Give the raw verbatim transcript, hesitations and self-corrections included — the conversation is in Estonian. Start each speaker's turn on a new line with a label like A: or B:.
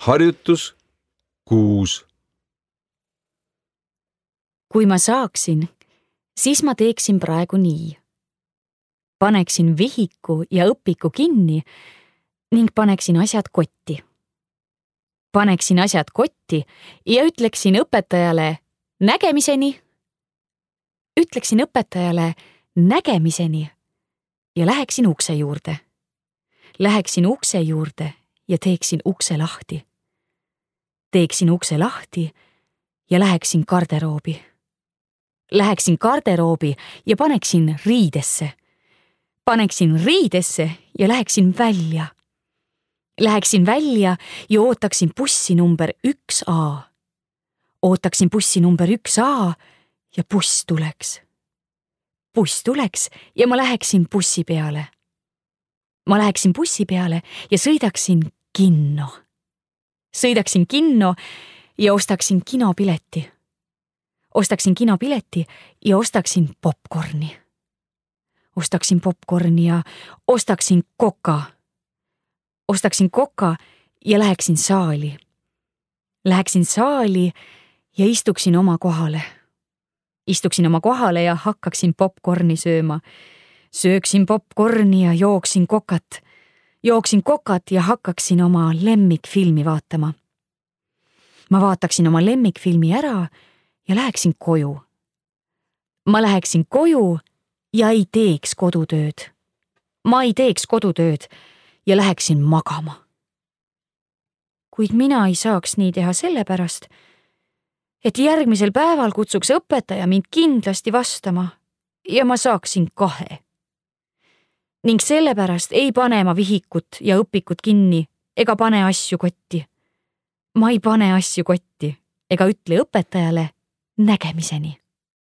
A: harjutus kuus.
B: Kui ma saaksin, siis ma teeksin praegu nii. Paneksin vihiku ja õpiku kinni ning paneksin asjad kotti. Paneksin asjad kotti ja ütleksin õpetajale nägemiseni. Ütleksin õpetajale nägemiseni ja läheksin ukse juurde. Läheksin ukse juurde ja teeksin ukse lahti. Teeksin ukse lahti ja läheksin garderoobi. Läheksin garderoobi ja paneksin riidesse. Paneksin riidesse ja läheksin välja. Läheksin välja ja ootaksin bussi number üks A. Ootaksin bussi number üks A ja buss tuleks. Buss tuleks ja ma läheksin bussi peale. Ma läheksin bussi peale ja sõidaksin kinno. Sõidaksin kinno ja ostaksin kinopileti. Ostaksin kinopileti ja ostaksin popcorni. Ostaksin popcorni ja ostaksin koka. Ostaksin koka ja läheksin saali. Läheksin saali ja istuksin oma kohale. Istuksin oma kohale ja hakkaksin popcorni sööma. Sööksin popcorni ja jooksin kokat. Jooksin kokat ja hakkaksin oma lemmikfilmi vaatama. Ma vaataksin oma lemmikfilmi ära ja läheksin koju. Ma läheksin koju ja ei teeks kodutööd. Ma ei teeks kodutööd ja läheksin magama. Kuid mina ei saaks nii teha sellepärast, et järgmisel päeval kutsuks õpetaja mind kindlasti vastama ja ma saaksin kahe. Ning sellepärast ei pane ma vihikut ja õpikut kinni ega pane asju kotti. Ma ei pane asju kotti ega ütle õpetajale nägemiseni.